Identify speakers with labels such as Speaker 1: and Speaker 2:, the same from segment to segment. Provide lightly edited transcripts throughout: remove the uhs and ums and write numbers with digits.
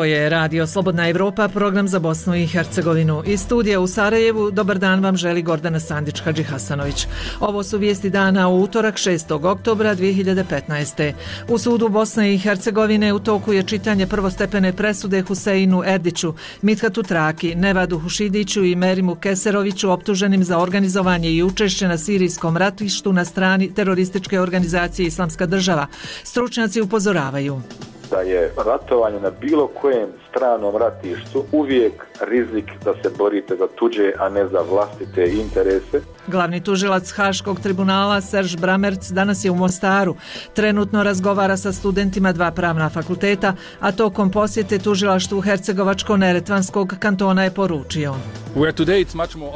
Speaker 1: Ovo je Radio Slobodna Evropa, program za Bosnu i Hercegovinu. Iz studija u Sarajevu, dobar dan vam želi Gordana Sandić-Hadžihasanović. Ovo su vijesti dana u utorak 6. oktobra 2015. U sudu Bosne i Hercegovine u toku je čitanje prvostepene presude Huseinu Erdiću, Mithatu Traki, Nevadu Hušidiću i Merimu Keseroviću optuženim za organizovanje i učešće na sirijskom ratištu na strani terorističke organizacije Islamska država. Stručnjaci upozoravaju
Speaker 2: da je ratovanje na bilo kojem stranom ratištu uvijek rizik da se borite za tuđe, a ne za vlastite interese.
Speaker 1: Glavni tužilac Haškog tribunala Serž Bramerc danas je u Mostaru. Trenutno razgovara sa studentima dva pravna fakulteta, a tokom posjete tužilaštvu Hercegovačko-Neretvanskog kantona je poručio: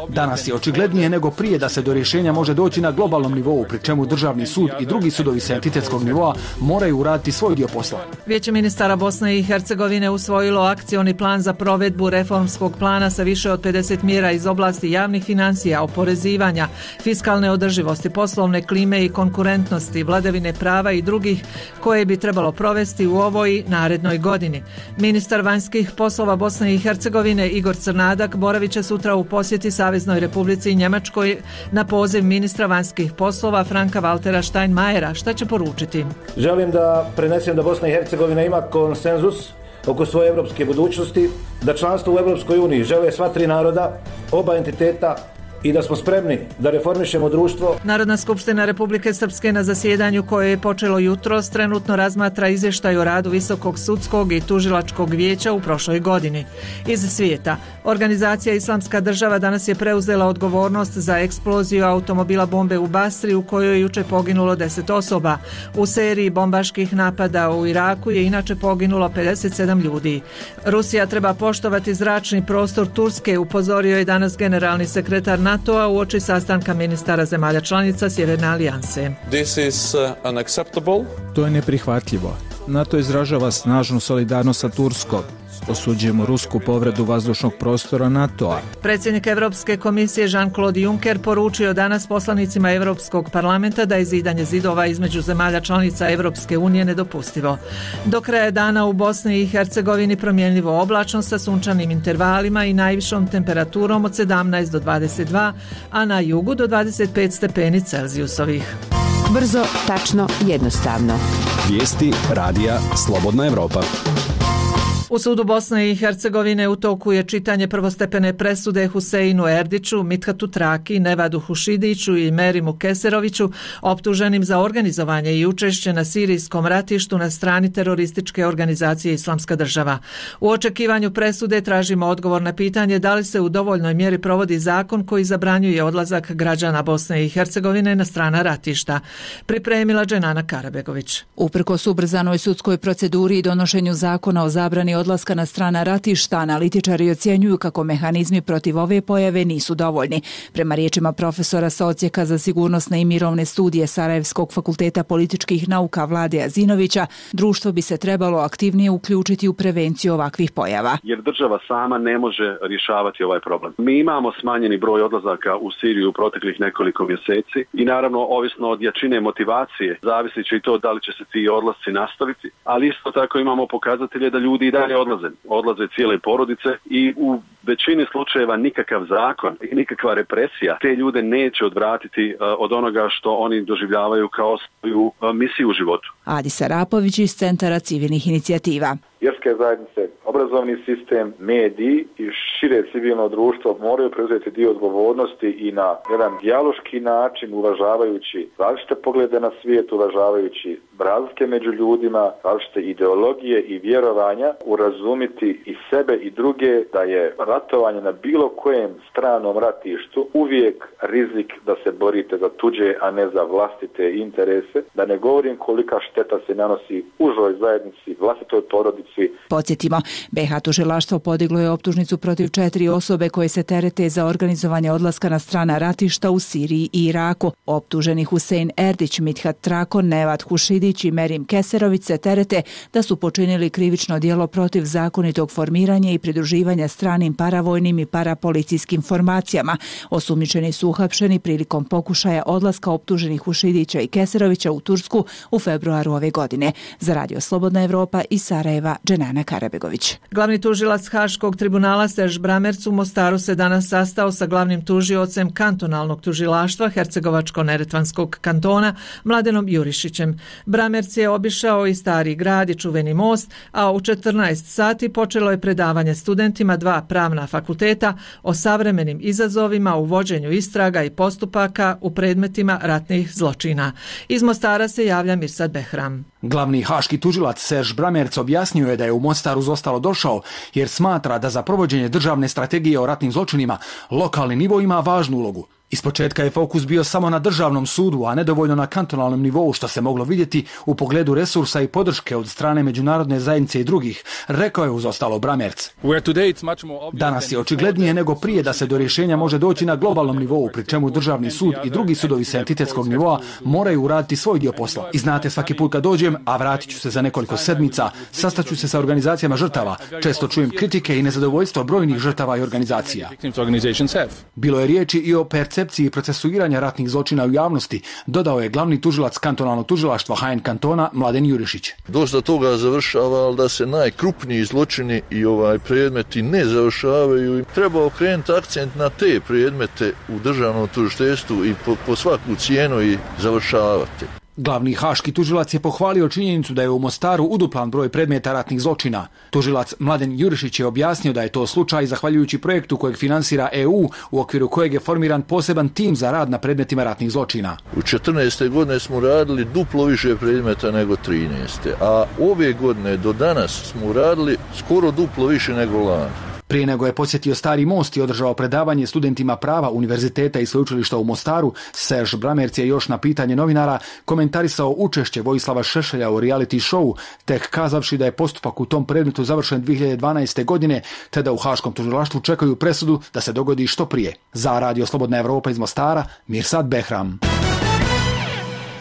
Speaker 3: Danas je očiglednije nego prije da se do rješenja može doći na globalnom nivou, pri čemu državni sud i drugi sudovi sa entitetskog nivoa moraju uraditi svoj dio posla.
Speaker 1: Vijeće ministara Bosne i Hercegovine usvojilo akcioni plan za provedbu reformskog plana sa više od 50 mjera iz oblasti javnih financija, oporezivanja, fiskalne održivosti, poslovne klime i konkurentnosti, vladavine prava i drugih koje bi trebalo provesti u ovoj i narednoj godini. Ministar vanjskih poslova Bosne i Hercegovine Igor Crnadak boravit će sutra u posjeti Saveznoj Republici Njemačkoj na poziv ministra vanjskih poslova Franka Valtera Steinmeiera. Šta će poručiti?
Speaker 4: Želim da prenesem da Bosna i Hercegovina ima konsenzus oko svoje evropske budućnosti, da članstvo u Evropskoj uniji žele sva tri naroda, oba entiteta i da smo spremni da reformišemo društvo.
Speaker 1: Narodna skupština Republike Srpske na zasjedanju koje je počelo jutros trenutno razmatra izvještaj o radu Visokog sudskog i tužilačkog vijeća u prošloj godini. Iz svijeta, organizacija Islamska država danas je preuzela odgovornost za eksploziju automobila bombe u Basri u kojoj je jučer poginulo 10 osoba. U seriji bombaških napada u Iraku je inače poginulo 57 ljudi. Rusija treba poštovati zračni prostor Turske, upozorio je danas generalni sekretar NATO-a uoči sastanka ministara zemalja članica Sjeverne alijanse.
Speaker 5: To je neprihvatljivo. NATO izražava snažnu solidarnost sa Turskom. Osuđujemo rusku povredu vazdušnog prostora NATO-a.
Speaker 1: Predsjednik Europske komisije Jean-Claude Juncker poručio danas poslanicima Europskog parlamenta da je zidanje zidova između zemalja članica Europske unije nedopustivo. Do kraja dana u Bosni i Hercegovini promjenljivo oblačno sa sunčanim intervalima i najvišom temperaturom od 17 do 22, a na jugu do 25 stepeni Celzijusovih.
Speaker 6: Brzo, tačno, jednostavno.
Speaker 7: Vijesti radija Slobodna Evropa.
Speaker 1: U sudu Bosne i Hercegovine u toku je čitanje prvostepene presude Huseinu Erdiću, Mithatu Traki, Nevadu Hušidiću i Merimu Keseroviću optuženim za organizovanje i učešće na sirijskom ratištu na strani terorističke organizacije Islamska država. U očekivanju presude tražimo odgovor na pitanje da li se u dovoljnoj mjeri provodi zakon koji zabranjuje odlazak građana Bosne i Hercegovine na strana ratišta. Pripremila Dženana Karabegović.
Speaker 8: Uprkos ubrzanoj sudskoj proceduri i donošenju zakona o zabrani odlaska na strana ratišta, analitičari ocjenjuju kako mehanizmi protiv ove pojave nisu dovoljni. Prema riječima profesora sa Odsjeka za sigurnosne i mirovne studije Sarajevskog fakulteta političkih nauka Vlade Azinovića, društvo bi se trebalo aktivnije uključiti u prevenciju ovakvih pojava.
Speaker 9: Jer država sama ne može rješavati ovaj problem. Mi imamo smanjeni broj odlazaka u Siriju u proteklih nekoliko mjeseci i naravno ovisno od jačine motivacije zavisit će i to da li će se ti odlasci nastaviti, ali isto tako imamo pokazatelje da ljudi i dalje odlaze cijele porodice i u većini slučajeva nikakav zakon i nikakva represija te ljude neće odvratiti od onoga što oni doživljavaju kao svoju misiju u životu.
Speaker 8: Adi Sarapović iz Centara civilnih inicijativa.
Speaker 2: Vjerske zajednice, obrazovni sistem, mediji i šire civilno društvo moraju preuzeti dio odgovornosti i na jedan dijaloški način, uvažavajući različite poglede na svijet, uvažavajući razlike među ljudima, različite ideologije i vjerovanja, urazumiti i sebe i druge da je ratovanje na bilo kojem stranom ratištu uvijek rizik da se borite za tuđe, a ne za vlastite interese, da ne govorim kolika šteta se nanosi užoj zajednici, vlastitoj porodici.
Speaker 8: Podsjetimo, BiH tužilaštvo podiglo je optužnicu protiv 4 osobe koje se terete za organizovanje odlaska na strana ratišta u Siriji i Iraku. Optuženi Husein Erdić, Mithat Trako, Nevad Hušidić i Merim Keserović se terete da su počinili krivično djelo protiv zakonitog formiranja i pridruživanja stranim paravojnim i parapolicijskim formacijama. Osumnjičeni su uhapšeni prilikom pokušaja odlaska optuženih Hušidića i Keserovića u Tursku u februaru ove godine. Za Radio Slobodna Evropa iz Sarajeva, Dženana Karabegović. Erdić.
Speaker 1: Glavni tužilac Haškog tribunala Serž Bramerc u Mostaru se danas sastao sa glavnim tužiocem kantonalnog tužilaštva Hercegovačko-neretvanskog kantona Mladenom Jurišićem. Bramerc je obišao i Stari grad i Čuveni most, a u 14 sati počelo je predavanje studentima 2 pravna fakulteta o savremenim izazovima u vođenju istraga i postupaka u predmetima ratnih zločina. Iz Mostara se javlja Mirsad Behram.
Speaker 3: Glavni haški tužilac Serž Bramerc objasnio je da je u Mostaru zostalo došao jer smatra da za provođenje državne strategije o ratnim zločinima lokalni nivo ima važnu ulogu. Ispočetka je fokus bio samo na državnom sudu, a nedovoljno na kantonalnom nivou, što se moglo vidjeti u pogledu resursa i podrške od strane međunarodne zajednice i drugih, rekao je uz ostalo Bramerc. Danas je očiglednije nego prije da se do rješenja može doći na globalnom nivou, pri čemu državni sud i drugi sudovi sa entitetskog nivoa moraju uraditi svoj dio posla. I znate, svaki put kad dođem, a vratit ću se za nekoliko sedmica, sastaću se sa organizacijama žrtava, često čujem kritike i nezadovoljstvo brojnih žrtava i organizacija. Bilo je riječi i o percepciji i procesuiranja ratnih zločina u javnosti, dodao je glavni tužilac kantonalnog tužilaštva HN kantona Mladen Jurišić.
Speaker 10: Dosta toga završava, ali da se najkrupniji zločini i predmeti ne završavaju. Treba okrenuti akcent na te predmete u državnom tužiteljstvu i po svaku cijenu i završavati.
Speaker 3: Glavni haški tužilac je pohvalio činjenicu da je u Mostaru uduplan broj predmeta ratnih zločina. Tužilac Mladen Jurišić je objasnio da je to slučaj zahvaljujući projektu kojeg finansira EU, u okviru kojeg je formiran poseban tim za rad na predmetima ratnih zločina.
Speaker 10: U 14. godine smo radili duplo više predmeta nego 13. A ove godine do danas smo radili skoro duplo više nego lani.
Speaker 3: Prije nego je posjetio Stari most i održao predavanje studentima prava univerziteta i sveučilišta u Mostaru, Serž Bramerc je još na pitanje novinara komentarisao učešće Vojislava Šešelja u reality showu, tek kazavši da je postupak u tom predmetu završen 2012. godine, te da u haškom tužilaštvu čekaju presudu da se dogodi što prije. Za Radio Slobodna Evropa iz Mostara, Mirsad Behram.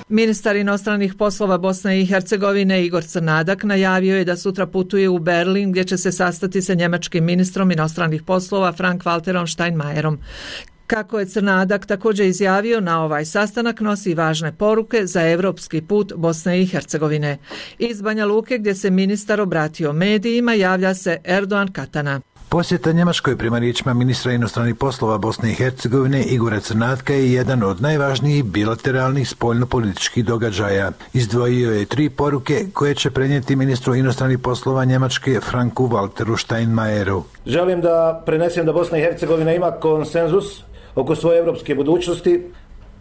Speaker 1: Ministar inostranih poslova Bosne i Hercegovine Igor Crnadak najavio je da sutra putuje u Berlin gdje će se sastati sa njemačkim ministrom inostranih poslova Frank-Walterom Steinmeierom. Kako je Crnadak također izjavio, na ovaj sastanak nosi važne poruke za europski put Bosne i Hercegovine. Iz Banja Luke, gdje se ministar obratio medijima, javlja se Erdoğan Katana.
Speaker 11: Posjeta Njemačkoj prema riječima ministra inostranih poslova Bosne i Hercegovine Igora Crnatka je jedan od najvažnijih bilateralnih spoljnopolitičkih događaja. Izdvojio je 3 poruke koje će prenijeti ministru inostranih poslova Njemačke Franku Walteru Steinmeieru.
Speaker 4: Želim da prenesem da Bosna i Hercegovina ima konsenzus oko svoje evropske budućnosti,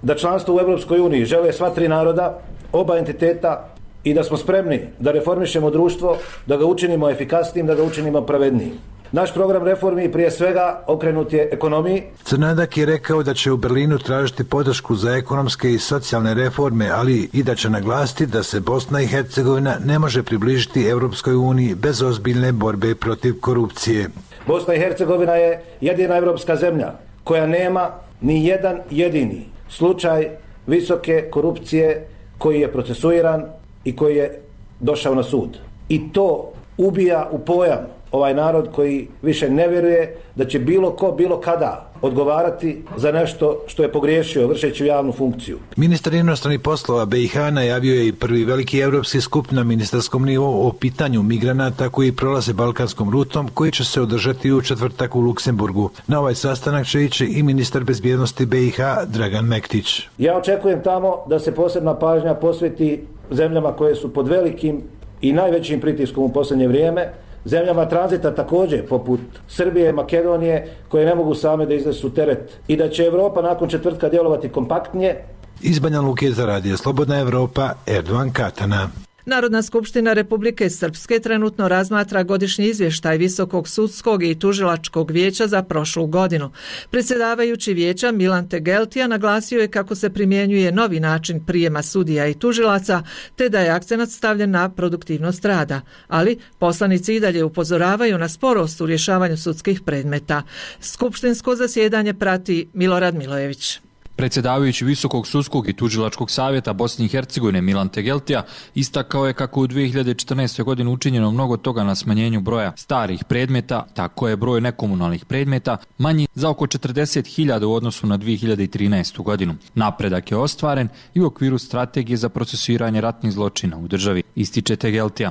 Speaker 4: da članstvo u Europskoj uniji žele sva 3 naroda, oba entiteta i da smo spremni da reformišemo društvo, da ga učinimo efikasnijim, da ga učinimo pravednijim. Naš program reformi prije svega okrenut je ekonomiji.
Speaker 11: Crnadak je rekao da će u Berlinu tražiti podršku za ekonomske i socijalne reforme, ali i da će naglasiti da se Bosna i Hercegovina ne može približiti Europskoj uniji bez ozbiljne borbe protiv korupcije.
Speaker 4: Bosna i Hercegovina je jedina europska zemlja koja nema ni jedan jedini slučaj visoke korupcije koji je procesuiran i koji je došao na sud. I to ubija u pojam ovaj narod koji više ne vjeruje da će bilo ko, bilo kada odgovarati za nešto što je pogriješio vršeći javnu funkciju.
Speaker 11: Ministar inostranih poslova BiH najavio je i prvi veliki europski skup na ministarskom nivou o pitanju migranata koji prolaze balkanskom rutom, koji će se održati u četvrtak u Luksemburgu. Na ovaj sastanak će ići i ministar bezbjednosti BiH Dragan Mektić.
Speaker 4: Ja očekujem tamo da se posebna pažnja posveti zemljama koje su pod velikim i najvećim pritiskom u posljednje vrijeme, zemljama tranzita također, poput Srbije, Makedonije, koje ne mogu same da iznesu teret i da će Europa nakon četvrtka djelovati kompaktnije.
Speaker 11: Iz Banja Luke za Radio Slobodna Evropa, Erdoğan Katana.
Speaker 1: Narodna skupština Republike Srpske trenutno razmatra godišnji izvještaj Visokog sudskog i tužilačkog vijeća za prošlu godinu. Predsjedavajući vijeća Milan Tegeltija naglasio je kako se primjenjuje novi način prijema sudija i tužilaca, te da je akcenat stavljen na produktivnost rada. Ali poslanici i dalje upozoravaju na sporost u rješavanju sudskih predmeta. Skupštinsko zasjedanje prati Milorad Milojević.
Speaker 12: Predsjedavajući Visokog sudskog i tužilačkog savjeta Bosne i Hercegovine Milan Tegeltija istakao je kako u 2014. godini učinjeno mnogo toga na smanjenju broja starih predmeta, tako je broj nekomunalnih predmeta manji za oko 40.000 u odnosu na 2013. godinu. Napredak je ostvaren i u okviru strategije za procesuiranje ratnih zločina u državi, ističe Tegeltija.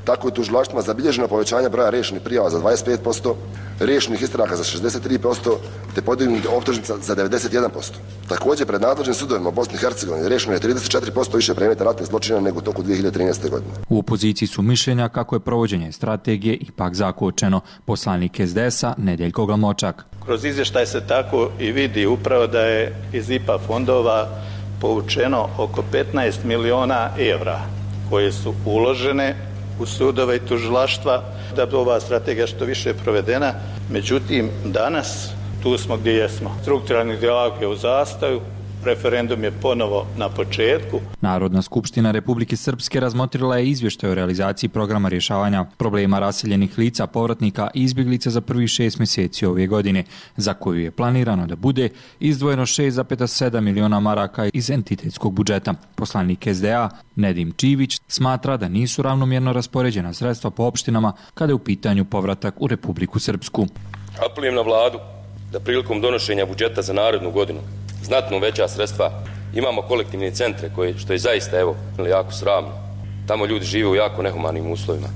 Speaker 13: Tako je u tužilaštvima zabilježeno povećanje broja riješenih prijava za 25%, riješenih istraga za 63%, te podignutih optužnica za 91%. Također, pred nadležnim sudovima u Bosni i Hercegovini riješeno je 34% više predmeta ratnih zločina nego u toku 2013. godine.
Speaker 12: U opoziciji su mišljenja kako je provođenje strategije ipak zakočeno. Poslanik SDS-a Nedeljko Glamočak.
Speaker 14: Kroz izvještaj se tako i vidi upravo da je iz IPA fondova povučeno oko 15 miliona evra koje su uložene u sudove i tužilaštva da bi ova strategija što više provedena. Međutim, danas tu smo gdje jesmo. Strukturalni dijalog je u zastaju, referendum je ponovo na početku.
Speaker 12: Narodna skupština Republike Srpske razmotrila je izvještaj o realizaciji programa rješavanja problema raseljenih lica, povratnika i izbjeglica za prvih 6 mjeseci ove godine, za koju je planirano da bude izdvojeno 6,7 miliona maraka iz entitetskog budžeta. Poslanik SDA Nedim Čivić smatra da nisu ravnomjerno raspoređena sredstva po opštinama kada je u pitanju povratak u Republiku Srpsku.
Speaker 15: Apelujem na vladu da prilikom donošenja budžeta za narednu godinu znatno veća sredstva. Imamo kolektivne centre što je zaista jako sramno. Tamo ljudi žive u jako nehumanim uslovima.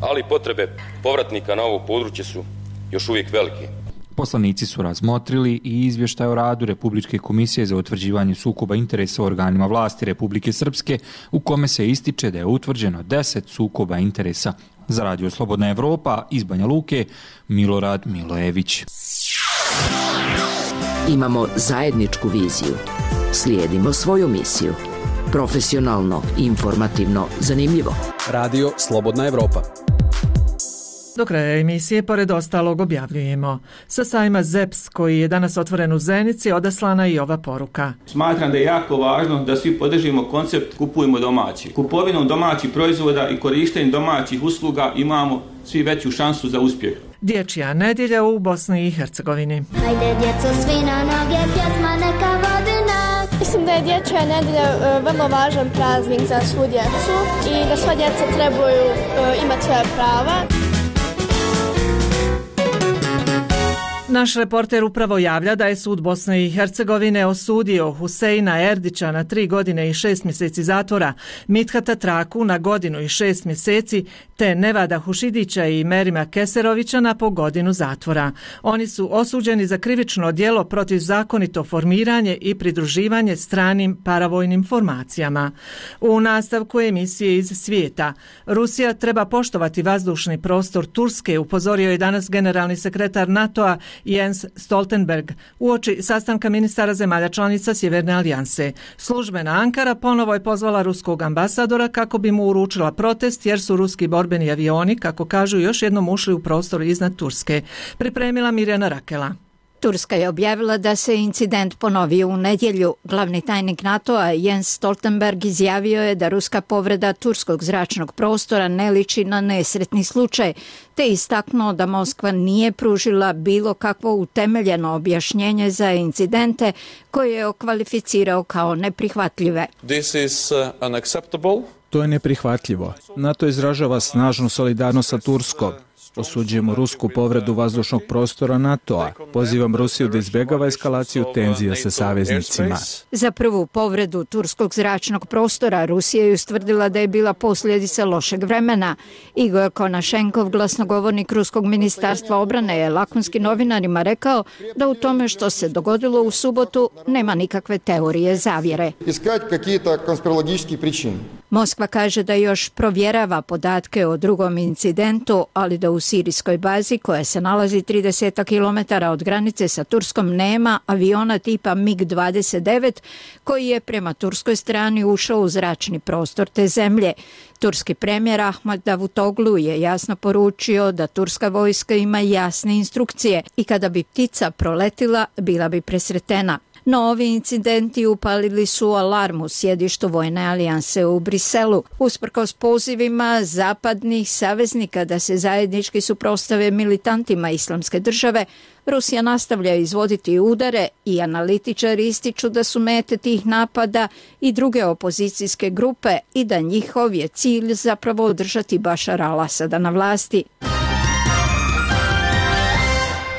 Speaker 15: Ali potrebe povratnika na ovo područje su još uvijek velike.
Speaker 12: Poslanici su razmotrili i izvještaj o radu Republičke komisije za utvrđivanje sukoba interesa u organima vlasti Republike Srpske, u kome se ističe da je utvrđeno 10 sukoba interesa. Za Radio Slobodna Evropa iz Banja Luke, Milorad Milojević.
Speaker 16: Imamo zajedničku viziju. Slijedimo svoju misiju. Profesionalno, informativno, zanimljivo.
Speaker 7: Radio Slobodna Evropa.
Speaker 1: Do kraja emisije, pored ostalog, objavljujemo. Sa sajma ZEPS, koji je danas otvoren u Zenici, odaslana i ova poruka.
Speaker 17: Smatram da je jako važno da svi podržimo koncept kupujemo domaći. Kupovinom domaćih proizvoda i korištenjem domaćih usluga imamo svi veću šansu za uspjeh.
Speaker 1: Dječja nedjelja u Bosni i Hercegovini.
Speaker 18: Hajde djeco svi na noge, pjesma neka vodi nas.
Speaker 19: Mislim da je dječja nedjelja vrlo važan praznik za svu djecu i da sva djeca trebaju imati svoje prava.
Speaker 1: Naš reporter upravo javlja da je sud Bosne i Hercegovine osudio Huseina Erdića na 3 godine i 6 mjeseci zatvora, Mithata Traku na 1 godinu i 6 mjeseci, te Nevada Hušidića i Merima Keserovića na po 1 godinu zatvora. Oni su osuđeni za krivično djelo protiv zakonito formiranje i pridruživanje stranim paravojnim formacijama. U nastavku emisije iz svijeta, Rusija treba poštovati vazdušni prostor Turske, upozorio je danas generalni sekretar NATO-a Jens Stoltenberg uoči sastanka ministara zemalja članica Sjeverne alijanse. Službena Ankara ponovo je pozvala ruskog ambasadora kako bi mu uručila protest jer su ruski borbeni avioni, kako kažu, još jednom ušli u prostor iznad Turske. Pripremila Mirjana Rakela.
Speaker 20: Turska je objavila da se incident ponovio u nedjelju. Glavni tajnik NATO-a Jens Stoltenberg izjavio je da ruska povreda turskog zračnog prostora ne liči na nesretni slučaj, te istaknuo da Moskva nije pružila bilo kakvo utemeljeno objašnjenje za incidente koje je okvalificirao kao neprihvatljive.
Speaker 5: This is unacceptable. To je neprihvatljivo. NATO izražava snažnu solidarnost sa Turskom. Osuđujemo rusku povredu vazdušnog prostora NATO-a. Pozivam Rusiju da izbjegava eskalaciju tenzija sa saveznicima.
Speaker 20: Za prvu povredu turskog zračnog prostora Rusija je ustvrdila da je bila posljedica lošeg vremena. Igor Konašenkov, glasnogovornik ruskog ministarstva obrane, je lakonski novinarima rekao da u tome što se dogodilo u subotu nema nikakve teorije zavjere. Moskva kaže da još provjerava podatke o drugom incidentu, ali da u sirijskoj bazi koja se nalazi 30 km od granice sa Turskom nema aviona tipa MiG-29 koji je prema turskoj strani ušao u zračni prostor te zemlje. Turski premijer Ahmed Davutoglu je jasno poručio da turska vojska ima jasne instrukcije i kada bi ptica proletila bila bi presretena. No ovi incidenti upalili su alarm u sjedištu Vojne alijanse u Briselu. Usprkos pozivima zapadnih saveznika da se zajednički suprotstave militantima Islamske države, Rusija nastavlja izvoditi udare i analitičari ističu da su mete tih napada i druge opozicijske grupe i da njihov je cilj zapravo održati Bašara al-Asada na vlasti.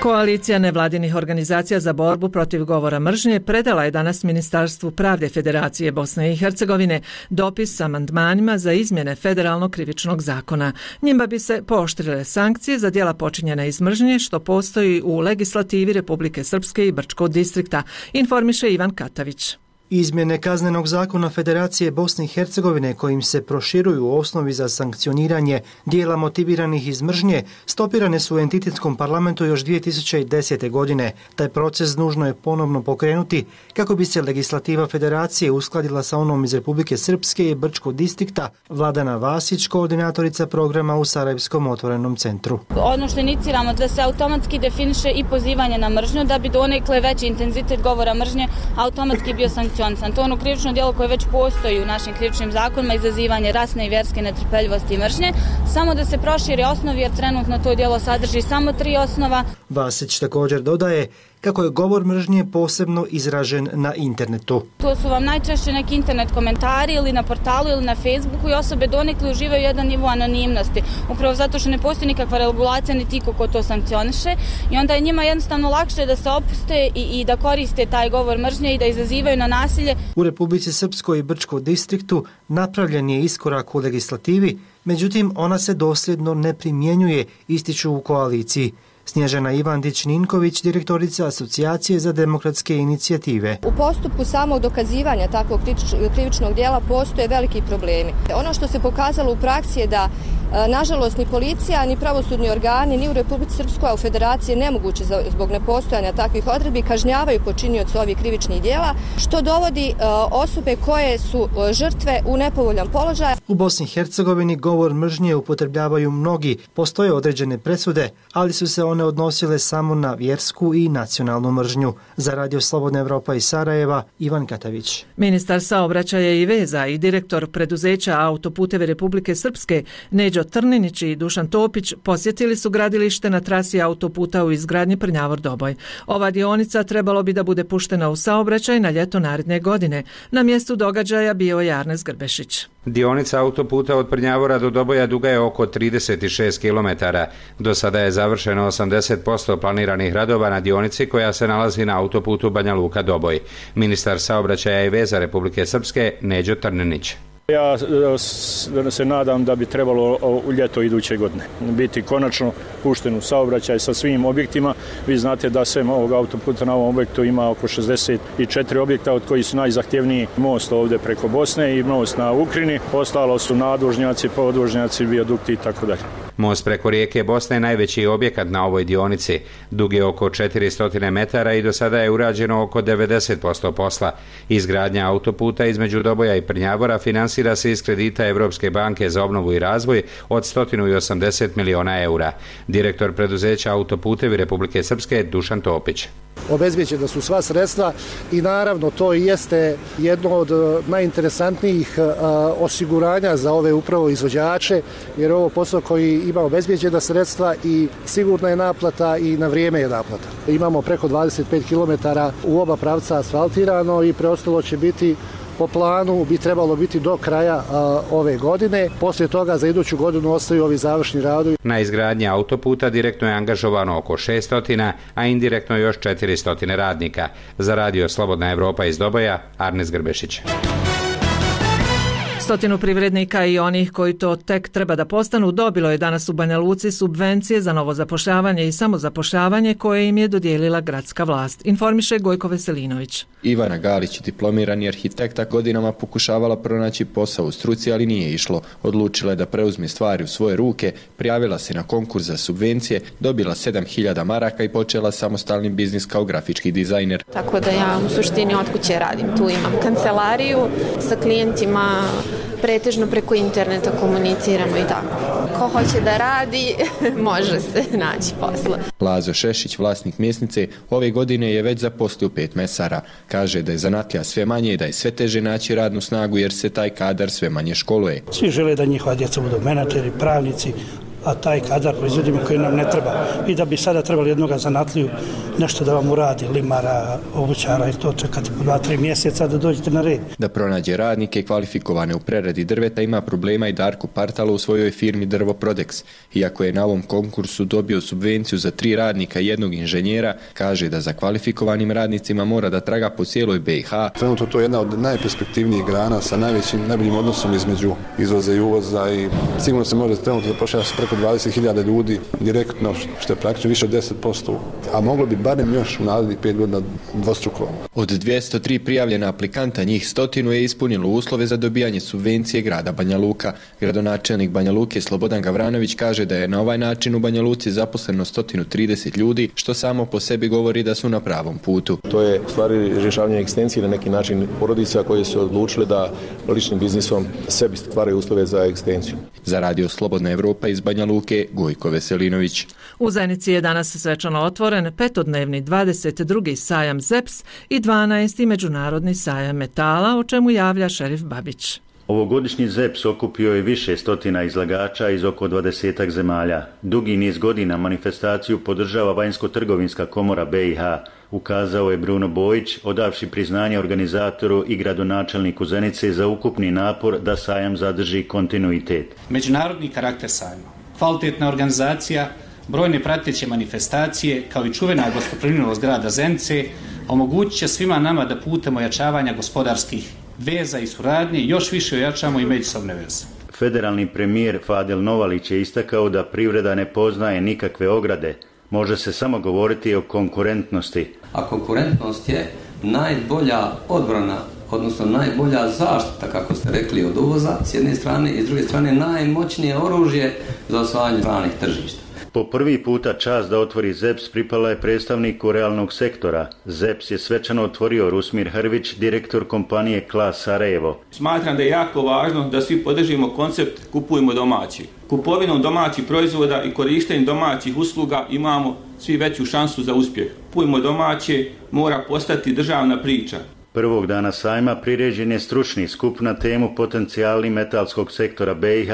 Speaker 1: Koalicija nevladinih organizacija za borbu protiv govora mržnje predala je danas Ministarstvu pravde Federacije Bosne i Hercegovine dopis s amandmanima za izmjene federalnog krivičnog zakona. Njima bi se pooštrile sankcije za djela počinjena iz mržnje što postoji u legislativi Republike Srpske i Brčkog distrikta, informiše Ivan Katavić.
Speaker 21: Izmjene kaznenog zakona Federacije Bosne i Hercegovine kojim se proširuju osnovi za sankcioniranje dijela motiviranih iz mržnje stopirane su u entitetskom parlamentu još 2010. godine. Taj proces nužno je ponovno pokrenuti kako bi se legislativa Federacije uskladila sa onom iz Republike Srpske i Brčkog distrikta. Vladana Vasić, koordinatorica programa u Sarajevskom otvorenom centru.
Speaker 22: Ono što iniciramo da se automatski definiše i pozivanje na mržnju da bi donekle veći intenzitet govora mržnje automatski bio sankcioniran. To je ono krivično djelo koje već postoji u našim krivičnim zakonima, izazivanje rasne i vjerske netrpeljivosti i mržnje, samo da se proširi osnovi jer trenutno to djelo sadrži samo 3 osnova.
Speaker 21: Vasić također dodaje kako je govor mržnje posebno izražen na internetu.
Speaker 22: To su vam najčešće neki internet komentari ili na portalu ili na Facebooku i osobe donekle uživaju jedan nivo anonimnosti. Upravo zato što ne postoji nikakva regulacija niti ko to sankcioniše i onda je njima jednostavno lakše da se opuste i da koriste taj govor mržnje i da izazivaju na nasilje.
Speaker 21: U Republici Srpskoj i Brčkom distriktu napravljen je iskorak u legislativi, međutim ona se dosljedno ne primjenjuje, ističu u koaliciji. Snježana Ivandić-Ninković, direktorica Asocijacije za demokratske inicijative.
Speaker 23: U postupku samog dokazivanja takvog krivičnog djela postoje veliki problemi. Ono što se pokazalo u praksi je da nažalost ni policija, ni pravosudni organi, ni u Republici Srpskoj, a u Federaciji nemoguće zbog nepostojanja takvih odredbi kažnjavaju počinioce ovih krivičnih djela, što dovodi osobe koje su žrtve u nepovoljan položaj.
Speaker 21: U Bosni i Hercegovini govor mržnje upotrebljavaju mnogi, postoje određene presude, ali su se one odnosile samo na vjersku i nacionalnu mržnju. Za Radio Slobodna Evropa iz Sarajeva, Ivan Katavić.
Speaker 1: Ministar saobraćaja i veza i direktor preduzeća Autoputevi Republike Srpske Neđo Trninić i Dušan Topić posjetili su gradilište na trasi autoputa u izgradnji Prnjavor-Doboj. Ova dionica trebalo bi da bude puštena u saobraćaj na ljeto naredne godine. Na mjestu događaja bio je Arnes Grbešić.
Speaker 24: Dionica autoputa od Prnjavora do Doboja duga je oko 36 km. Do sada je završeno 80% planiranih radova na dionici koja se nalazi na autoputu Banja Luka-Doboj. Ministar saobraćaja i veza Republike Srpske Neđo Trninić.
Speaker 25: Ja se nadam da bi trebalo u ljeto iduće godine biti konačno pušten u saobraćaj sa svim objektima. Vi znate da sem ovog autoputa na ovom objektu ima oko 64 objekta, od kojih su najzahtjevniji most ovdje preko Bosne i most na Ukrini. Ostalo su nadvožnjaci, podvožnjaci, vijadukti i tako dalje.
Speaker 24: Most preko rijeke Bosne je najveći objekat na ovoj dionici. Dug je oko 400 metara i do sada je urađeno oko 90% posla. Izgradnja autoputa između Doboja i Prnjavora finansira se iz kredita Evropske banke za obnovu i razvoj od 180 miliona eura. Direktor preduzeća Autoputevi Republike Srpske Dušan Topić.
Speaker 26: Obezbeđena su sva sredstva i naravno to i jeste jedno od najinteresantnijih osiguranja za ove upravo izvođače, jer ovo posao koji ima obezbeđena sredstva i sigurna je naplata i na vrijeme je naplata. Imamo preko 25 km u oba pravca asfaltirano i preostalo će biti po planu, bi trebalo biti do kraja ove godine. Poslije toga za iduću godinu ostaju ovi završni radovi.
Speaker 24: Na izgradnji autoputa direktno je angažovano oko 600, a indirektno još 400 radnika. Za Radio Slobodna Evropa iz Doboja, Arnes Grbešić.
Speaker 1: 100 privrednika i onih koji to tek treba da postanu dobilo je danas u Banja Luci subvencije za novo zapošljavanje i samozapošljavanje koje im je dodijelila gradska vlast, informiše Gojko Veselinović.
Speaker 27: Ivana Galić, diplomirani arhitekta, godinama pokušavala pronaći posao u struci, ali nije išlo. Odlučila je da preuzme stvari u svoje ruke, prijavila se na konkurs za subvencije, dobila 7.000 maraka i počela samostalni biznis kao grafički dizajner.
Speaker 28: Tako da ja u suštini od kuće radim. Tu imam kancelariju sa klijentima, pretežno preko interneta komuniciramo i tako. Ko hoće da radi, može se naći posla.
Speaker 27: Lazo Šešić, vlasnik mesnice, ove godine je već zaposlio 5 mesara. Kaže da je zanatlija sve manje i da je sve teže naći radnu snagu jer se taj kadar sve manje školuje.
Speaker 29: Svi žele da njihova djeca budu menadžeri, pravnici,
Speaker 2: a taj kadar proizvodimo koji nam ne treba. I da bi sada trebali jednoga zanatliju nešto da vam uradi, limara, obućara i to čekati po 2-3 mjeseca da dođete na red.
Speaker 27: Da pronađe radnike kvalifikovane u preradi drveta ima problema i Darko Partalo u svojoj firmi Drvoprodex. Iako je na ovom konkursu dobio subvenciju za 3 radnika i 1 inženjera, kaže da za kvalifikovanim radnicima mora da traga po cijeloj BiH.
Speaker 3: Trenutno to je jedna od najperspektivnijih grana sa najboljim odnosom između izvoza i uvoza i sigurno se može trenutno zapošljavati preko 20.000 ljudi direktno, što je praktično više od 10%, a moglo bi barem još u narednih 5 godina dvostruko.
Speaker 27: Od 203 prijavljena aplikanta, njih 100 je ispunilo uslove za dobijanje subvencije grada Banja Luka. Gradonačelnik Banja Luke Slobodan Gavranović kaže da je na ovaj način u Banja Luci zaposleno 130 ljudi, što samo po sebi govori da su na pravom putu.
Speaker 4: To je stvari rješavanje egzistencije na neki način porodica koje su odlučile da ličnim biznisom sebi stvaraju uslove za egzistenciju.
Speaker 27: Za Radio Slobodna Evropa iz Banja Luke, Gojko Veselinović.
Speaker 1: U Zenici je danas svečano otvoren 5-dnevni 22. sajam ZEPS i 12. međunarodni sajam metala, o čemu javlja šerif Babić.
Speaker 6: Ovogodišnji ZEPS okupio je više stotina izlagača iz oko 20 zemalja. Dugi niz godina manifestaciju podržava Vanjsko-trgovinska komora BiH, ukazao je Bruno Bojić, odavši priznanje organizatoru i gradonačelniku Zenice za ukupni napor da sajam zadrži kontinuitet.
Speaker 8: Međunarodni karakter sajma, kvalitetna organizacija, brojne prateće manifestacije kao i čuvena gostoprimljenost grada Zenice omogućit će svima nama da putem ojačavanja gospodarskih veza i suradnje još više ojačamo i međusobne veze.
Speaker 6: Federalni premijer Fadel Novalić je istakao da privreda ne poznaje nikakve ograde. Može se samo govoriti o konkurentnosti.
Speaker 9: A konkurentnost je najbolja odbrana, odnosno najbolja zaštita, kako ste rekli, od uvoza s jedne strane i s druge strane najmoćnije oružje za osvajanje stranih tržišta.
Speaker 6: Po prvi puta čast da otvori ZEPS pripala je predstavniku realnog sektora. ZEPS je svečano otvorio Rusmir Hrvić, direktor kompanije Klas Sarajevo.
Speaker 17: Smatram da je jako važno da svi podržimo koncept kupujmo domaći. Kupovinom domaćih proizvoda i korištenjem domaćih usluga imamo svi veću šansu za uspjeh. Kupujmo domaće mora postati državna priča.
Speaker 6: Prvog dana sajma priređen je stručni skup na temu potencijali metalskog sektora BiH,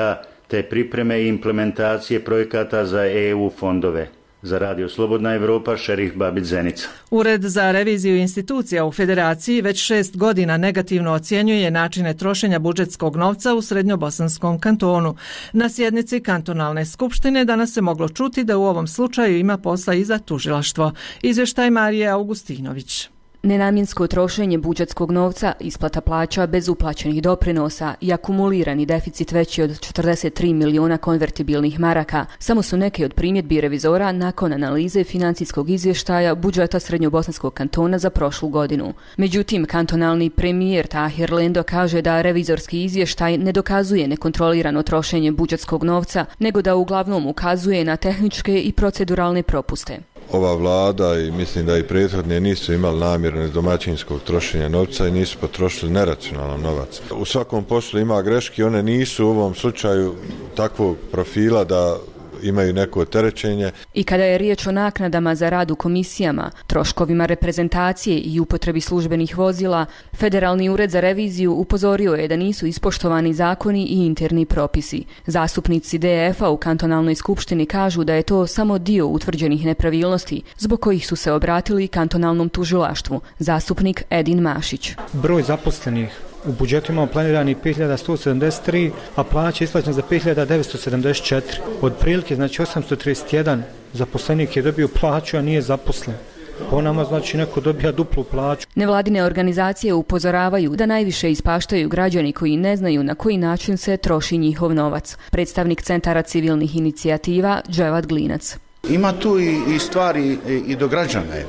Speaker 6: te pripreme i implementacije projekata za EU fondove. Za Radio Slobodna Evropa, šerif Babić, Zenica.
Speaker 1: Ured za reviziju institucija u Federaciji već 6 godina negativno ocjenjuje načine trošenja budžetskog novca u Srednjobosanskom kantonu. Na sjednici kantonalne skupštine danas se moglo čuti da u ovom slučaju ima posla i za tužilaštvo. Izvještaj Marije Augustinović.
Speaker 10: Nenamjensko trošenje budžetskog novca, isplata plaća bez uplaćenih doprinosa i akumulirani deficit veći od 43 miliona konvertibilnih maraka samo su neke od primjedbi revizora nakon analize financijskog izvještaja budžeta Srednjobosanskog kantona za prošlu godinu. Međutim, kantonalni premijer Tahir Lendo kaže da revizorski izvještaj ne dokazuje nekontrolirano trošenje budžetskog novca, nego da uglavnom ukazuje na tehničke i proceduralne propuste.
Speaker 11: Ova vlada i mislim da i prethodne nisu imali namjerne domaćinskog trošenja novca i nisu potrošili neracionalan novac. U svakom poslu ima greške, one nisu u ovom slučaju takvog profila da imaju neko opterećenje.
Speaker 10: I kada je riječ o naknadama za rad u komisijama, troškovima reprezentacije i upotrebi službenih vozila, Federalni ured za reviziju upozorio je da nisu ispoštovani zakoni i interni propisi. Zastupnici DF-a u kantonalnoj skupštini kažu da je to samo dio utvrđenih nepravilnosti, zbog kojih su se obratili kantonalnom tužilaštvu. Zastupnik Edin Mašić.
Speaker 21: Broj zaposlenih u budžetu imamo planirani 5173, a plaća isplaćena za 5974. Od prilike, znači 831 zaposlenik je dobio plaću, a nije zaposlen. Po nama znači neko dobija duplu plaću.
Speaker 10: Nevladine organizacije upozoravaju da najviše ispaštaju građani koji ne znaju na koji način se troši njihov novac. Predstavnik Centara civilnih inicijativa Dževad Glinac.
Speaker 29: Ima tu i stvari i do građane.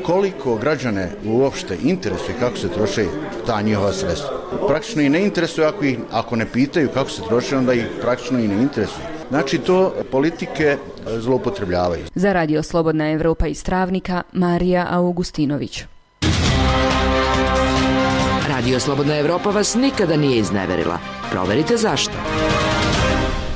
Speaker 29: Koliko građane uopšte interesuje kako se troše ta njihova sredstva. Praktično i ne interesuje ako ne pitaju kako se troše, onda ih praktično i ne interesuje. Znači to politike zloupotrebljavaju.
Speaker 10: Za Radio Slobodna Evropa iz Travnika, Marija Augustinović.
Speaker 16: Radio Slobodna Evropa vas nikada nije izneverila. Proverite zašto.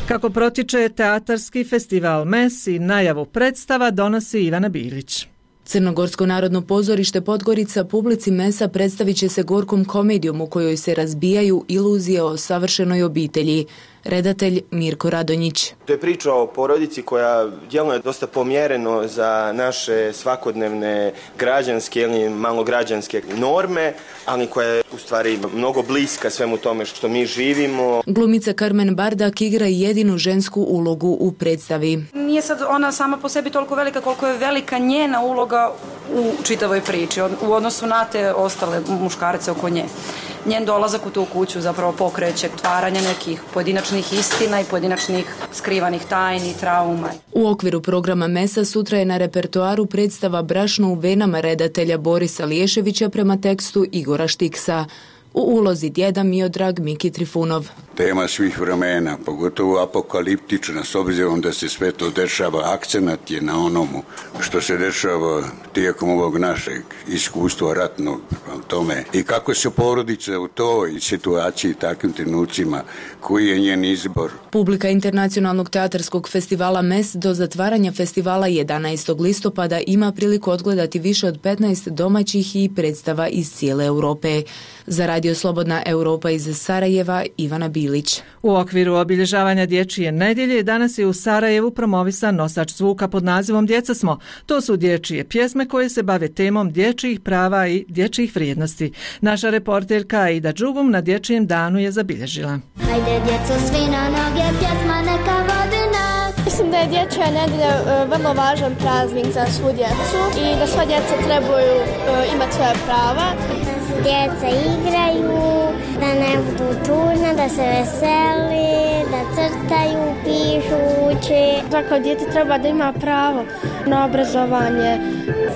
Speaker 1: Kako protiče teatarski festival MES i najavu predstava donosi Ivana Bilić.
Speaker 5: Crnogorsko narodno pozorište Podgorica publici mesa predstavit će se gorkom komedijom u kojoj se razbijaju iluzije o savršenoj obitelji. Redatelj Mirko Radonjić.
Speaker 7: To je priča o porodici koja djeluje dosta pomjereno za naše svakodnevne građanske ili malograđanske norme, ali koja je u stvari mnogo bliska svemu tome što mi živimo.
Speaker 5: Glumica Carmen Bardak igra jedinu žensku ulogu u predstavi.
Speaker 12: Nije sad ona sama po sebi toliko velika koliko je velika njena uloga u čitavoj priči u odnosu na te ostale muškarce oko nje. Njen dolazak u tu kuću zapravo pokreće otvaranje nekih pojedinačnih istina i pojedinačnih skrivanih tajni, trauma.
Speaker 5: U okviru programa Mesa sutra je na repertoaru predstava Brašno u venama redatelja Borisa Liješevića prema tekstu Igora Štiksa. U ulozi djeda Miodrag Miki Trifunov.
Speaker 13: Tema svih vremena, pogotovo apokaliptična, s obzirom da se sve to dešava, akcenat je na onomu što se dešava tijekom ovog našeg iskustva ratnog tome. I kako se porodica u toj situaciji, takvim trenucima, koji je njen izbor.
Speaker 5: Publika Internacionalnog teatarskog festivala MES do zatvaranja festivala 11. listopada ima priliku odgledati više od 15 domaćih i predstava iz cijele Europe. Za Radio Slobodna Europa iz Sarajeva, Ivana Bilić.
Speaker 1: U okviru obilježavanja Dječje nedjelje danas je u Sarajevu promovisan nosač zvuka pod nazivom Djeca smo. To su dječje pjesme koje se bave temom dječjih prava i dječjih vrijednosti. Naša reporterka Aida Đugum na Dječjem danu je zabilježila.
Speaker 14: Hajde djeco svi na noge, pjesma neka vodi nas.
Speaker 15: Mislim da je Dječja nedjelja vrlo važan praznik za svu djecu i da sva djeca trebaju imati svoje prava.
Speaker 14: Djeca igraju, da ne budu tužna, da se veseli, da crtaju, pišu, uče.
Speaker 15: Svako dijete treba da ima pravo na obrazovanje,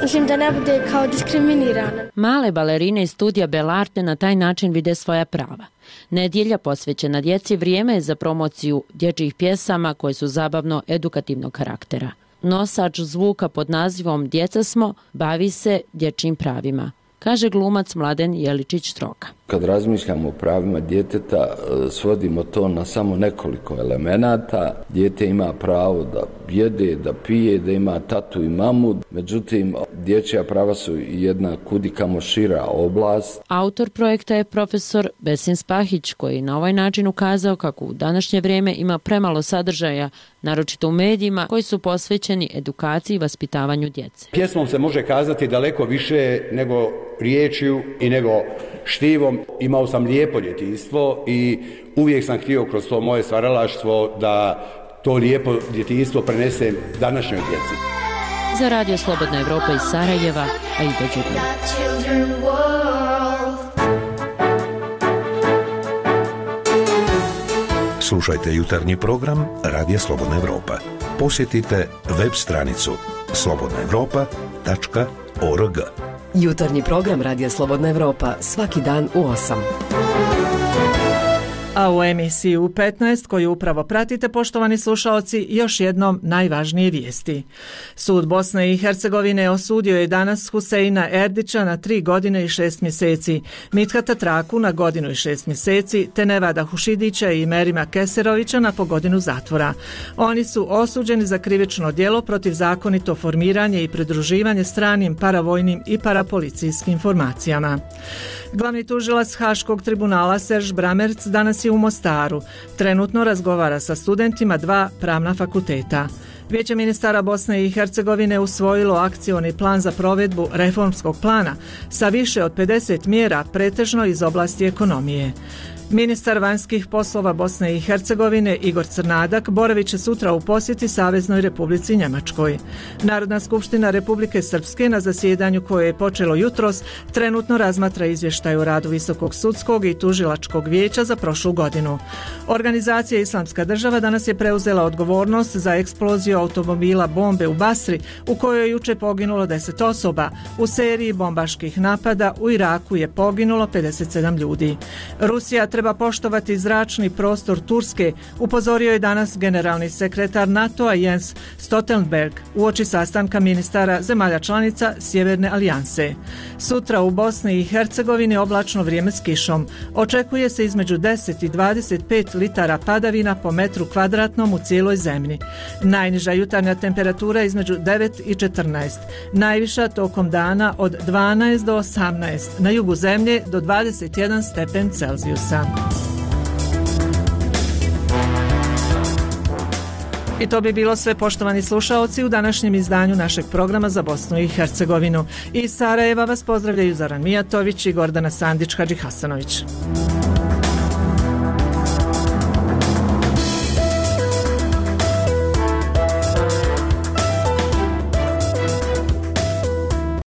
Speaker 15: mislim da ne bude kao diskriminirano.
Speaker 18: Male balerine iz studija Belarte na taj način vide svoja prava. Nedjelja posvećena djeci vrijeme je za promociju dječjih pjesama koje su zabavno-edukativnog karaktera. Nosač zvuka pod nazivom Djeca smo bavi se dječjim pravima, kaže glumac Mladen Jeličić-Stroka.
Speaker 19: Kad razmišljamo o pravima djeteta, svodimo to na samo nekoliko elemenata. Dijete ima pravo da jede, da pije, da ima tatu i mamu. Međutim, dječja prava su jedna kudikamo šira oblast.
Speaker 18: Autor projekta je profesor Besin Spahić, koji na ovaj način ukazao kako u današnje vrijeme ima premalo sadržaja, naročito u medijima, koji su posvećeni edukaciji i vaspitavanju djece.
Speaker 20: Pjesmom se može kazati daleko više nego riječju i nego štivom. Imao sam lijepo djetinjstvo i uvijek sam htio kroz to moje stvaralaštvo da to lijepo djetinjstvo prenesem današnjoj djeci.
Speaker 18: Za Radio Slobodna Evropa iz Sarajeva, Aida Đugum.
Speaker 30: Slušajte jutarnji program Radija Slobodna Evropa. Posjetite web stranicu slobodnaevropa.org.
Speaker 31: Jutarnji program Radija Slobodna Evropa svaki dan u 8.
Speaker 1: A u emisiji u 15 koju upravo pratite, poštovani slušaoci, još jednom najvažnije vijesti. Sud Bosne i Hercegovine osudio je danas Huseina Erdića na 3 godine i 6 mjeseci, Mithata Traku na 1 godinu i 6 mjeseci, te Nevada Hušidića i Merima Keserovića na po godinu zatvora. Oni su osuđeni za krivično djelo protiv zakonito formiranje i pridruživanje stranim paravojnim i parapolicijskim formacijama. Glavni tužilac Haškog tribunala Serž Bramerc danas je u Mostaru. Trenutno razgovara sa studentima 2 pravna fakulteta. Vijeće ministara Bosne i Hercegovine usvojilo akcioni plan za provedbu reformskog plana sa više od 50 mjera, pretežno iz oblasti ekonomije. Ministar vanjskih poslova Bosne i Hercegovine Igor Crnadak boravit će sutra u posjeti Saveznoj Republici Njemačkoj. Narodna skupština Republike Srpske na zasjedanju koje je počelo jutros trenutno razmatra izvještaj o radu Visokog sudskog i tužilačkog vijeća za prošlu godinu. Organizacija Islamska država danas je preuzela odgovornost za eksploziju automobila bombe u Basri u kojoj je juče poginulo 10 osoba. U seriji bombaških napada u Iraku je poginulo 57 ljudi. Rusija treba poštovati zračni prostor Turske, upozorio je danas generalni sekretar NATO-a Jens Stoltenberg uoči sastanka ministara zemalja članica Sjeverne alijanse. Sutra u Bosni i Hercegovini oblačno vrijeme s kišom. Očekuje se između 10 i 25 litara padavina po metru kvadratnom u cijeloj zemlji. Najniža jutarnja temperatura između 9 i 14. Najviša tokom dana od 12 do 18. Na jugu zemlje do 21 stepen Celzijusa. I to bi bilo sve, poštovani slušaoci, u današnjem izdanju našeg programa za Bosnu i Hercegovinu. Iz Sarajeva vas pozdravljaju Zoran Mijatović i Gordana Sandić-Hadžihasanović.